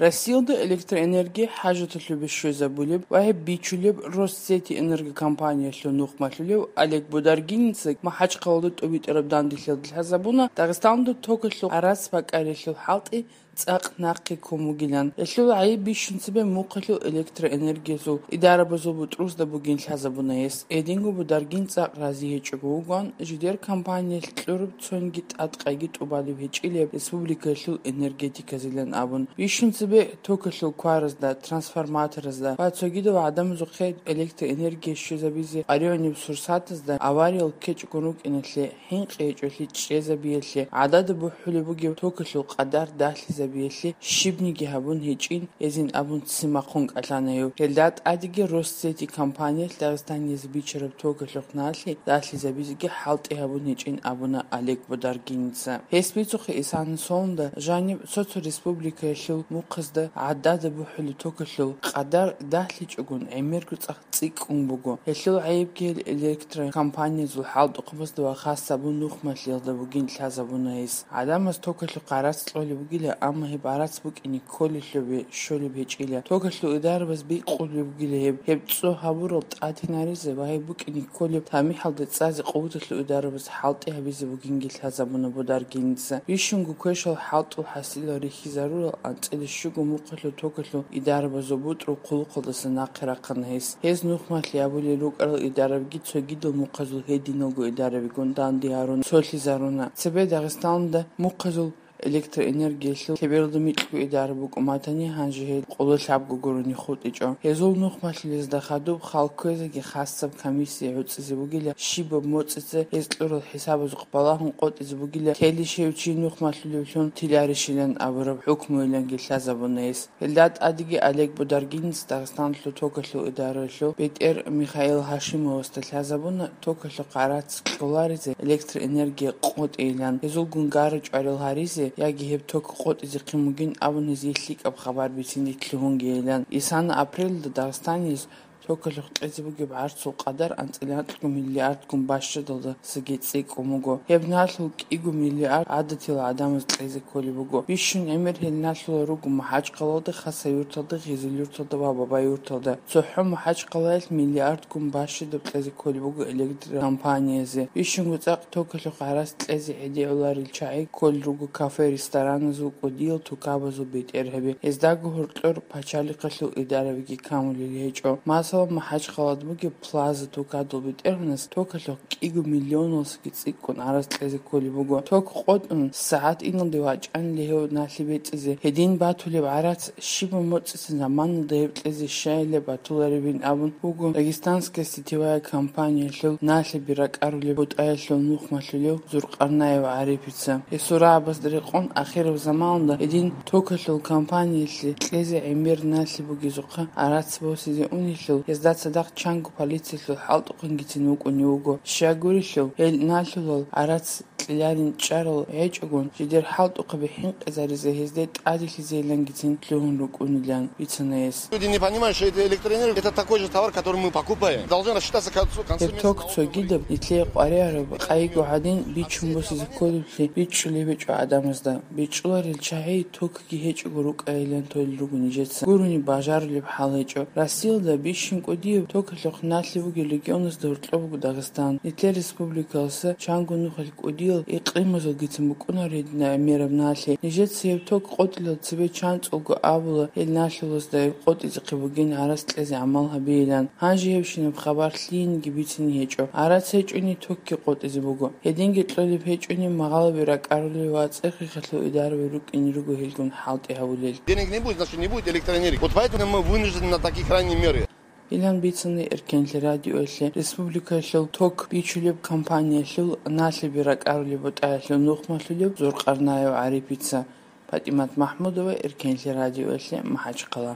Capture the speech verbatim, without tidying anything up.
Россиялда электроэнергия хӀажаталъубе щвезабулеб ва гьеб бичулеб Россети энергокомпаниялъул нухмалъулев Олег Бударгинецаги МахӀачхъалалда тӀубитӀараб данделъиялда лъазабуна Дагъистаналда токалъул гӀарац бакӀариялъул хӀалтӀи цӀакъ нахъе ккун бугилан. Гьелъул гӀайиб бищун цебе мухъалъул электроэнергиялъул идарабазул бутӀрузда бугин лъазабуна гьес. Гьединго Бударгин цӀакъ рази гьечӀого вугоан, жидер компаниялъ кьураб цониги тӀадкъайги тӀубалеб гьечӀилеб республикаялъул энергетиказилан абун. Бищун цебе токалъул кваразда, трансформаторазда ва цогидал гӀадамазухъе электроэнергия щвезабизе къваригӀунеб сурсатазда авариял ккечӀого рукӀиналъе, хӀинкъи гьечӀолъи чӀезабиялъе, гӀадада бухӀулеб бугеб токалъул къадар дагьлъизабиялъе щибниги гьабун гьечӀин, гьезин абун ццин бахъун кӀалъана гьев. Гьелда тӀадеги Россети компаниялъ Дагъистанизе бичараб токалъухъ налъи дагьлъизабизеги хӀалтӀи гьабун гьечӀин абуна Олег Бударгинеца. Гьес бицухъе исана соланда жаниб цо-цо республикаялъул мухъазда гӀадада бухӀулеб токалъул къадар дагьлъичӀогун гӀемерго цӀакъ цӀикӀкӀун буго. Гьелъул гӀайибги гьел электрокомпаниязул хӀалтӀухъабазда ва хасабун нухмалъиялда бугин лъазабуна гьес. ГӀадамаз токалъухъ гӀарац кьолеб бугила, амма гьеб гӀарац букӀине кколелъубе щолеб гьечӀила. Токалъул идарабаз бикъулеб бугила гьеб, гьеб цӀо гьабурал тӀадинаризе ва гьеб букӀине кколеб тамихӀалда цӀазе къуваталъул идарабаз хӀалтӀи гьабизе бугинги лъазабуна Бударгинеца. Бищунго квешал хӀалтӀул хӀасилал рихьизарурал анцӀила щуго мухъалъул токалъул идарабазул бутӀрул хъулухъалдаса нахъе рахъана гьес. Гьез нухмалъи абулел рукӀарал идарабиги цогидал мухъазул гьединалго идарабигун данде гьарун цолъизаруна. Цебе Дагъистаналда мухъазул электроэнергиялъул лъебералда микьго идараб букӀун батани, гьанже гьел къоло лъабго гурони хутӀичӀо. Гьезул нухмалъулезда хадуб хал кквезеги хасаб комиссия гӀуцӀизе бугила, щибаб моцӀица гьез кьурал хӀисабазухъ балагьун къотӀизе бугила, телищ гьев чи нухмалъулевлъун тиларищилан абураб хӀукмуйиланги лъазабуна гьес. Гьелда тӀадеги Олег Бударгинец Дагъистаналъул токалъул идараялъул бетӀер Михаил Гьашимовасда лъазабуна токалъухъ гӀарац кьоларизе электроэнергия къотӀейилан, гьезулгун гара чӀварал гьаризе яги гьеб ток къотӀизехъин бугин абун гьезие лъикӀаб хабар бицине лъугьунгейилан. Исана апрелалда Дагъистаниялъ токалъухъ кьезе бугеб гӀарцул къадар анцӀила анкьго миллиардгун бащадалдасаги цӀикӀкӀун буго. Гьеб налъул кӀиго миллиард гӀадатил гӀадамаз кьезе кколеб буго. Бищун гӀемер гьел налъулал руго МахӀачхъалалда, Хасавюрталда, Гъизилюрталда ва Бабаюрталда. ЦохӀо МахӀачхъалаялъ миллиардгун бащадаб кьезе кколеб буго электрокомпаниязе. Бищунго цӀакъ токалъухъ гӀарац кьезе гӀедегӀуларел чагӀи кколел руго кафе-рестораназул, кӀудиял тукабазул бетӀергьаби. Гьездаго гьоркьор пачалихъалъул идарабиги камулел гьечӀо. Масала, МахӀачхъалада бугеб Плаза тукадул бетӀергьанас токалъухъ кӀиго миллионалдасаги цӀикӀкӀун гӀарац кьезе кколеб буго. Ток къотӀун, сагӀат иналде вачӀанили гьев налъи бецӀизе. Гьедин батулеб гӀарац щибаб моцӀица заманалда гьеб кьезе щайилеб батуларебин абун буго Дагестанская сетевая компаниялъул налъиби ракӀарулеб бутӀаялъул нухмалъулев Зуркъарнаев ГӀарипица. Гьесул рагӀабазда рекъон, ахираб заманалда гьедин токалъул компаниялъе кьезе гӀемер налъи бугезухъа гӀарац босизе унелъул, гьезда цадахъ чанго полициялъул хӀалтӀухъангицин вукӀунев вуго. Щай гурелъул, гьел налъулал гӀарац кьеларин чӀарал гьечӀогун, жидер хӀалтӀухъаби хӀинкъизаризе гьезде тӀаделъизейилангицин лъугьун рукӀунилан бицана гьес. Люди не понимают, что это электроэнергия, это такой же товар, который мы покупаем. Должны рассчитаться к концу, концу Гьеб месяца ток цогидаб, нилъее къваригӀараб къайиго гьадин, бичун босизе кколеблъи бичӀчӀулеб гьечӀо гӀадамазда. БичӀчӀуларел чагӀи токги гьечӀого рукӀайилан толел руго нижеца. Гурони бажарулеб хӀал гьечӀо. Россиялда бищун кӀудияб токалъухъ налъи бугел регионазда гьоркьоб буго Дагъистан. Нилъер республикалъуса чанго нухалъ кӀудиял икълимазулгицин букӀунаро гьединаб гӀемераб налъи. Нижеца гьеб ток къотӀилал цебе чанцӀулго абула, гьел налъулазда гьеб къотӀизехъе бугин гӀарац кьезе гӀамал гьабейилан. Гьанже гьебщинаб хабар лъиениги бицине гьечӀо. ГӀарац гьечӀони, токги къотӀизе буго. Гьединги кьолеб гьечӀони, магъалаби ракӀарулел ва цӀехихъалъул идараби рукӀине руго гьелгун хӀалтӀи гьабулел. Денег не будет, значит, не будет электроэнергии. Вот поэтому мы вынуждены на такие крайние меры. Илан бицана Эркенлъи радиоялъе республикаялъул ток бичулеб компаниялъул налъиби ракӀарулеб бутӀаялъул нухмалъулев Зуркъарнаев ГӀарипица. ПатӀимат МахӀмудова, Эркенлъи радиоялъе, МахӀачхъала.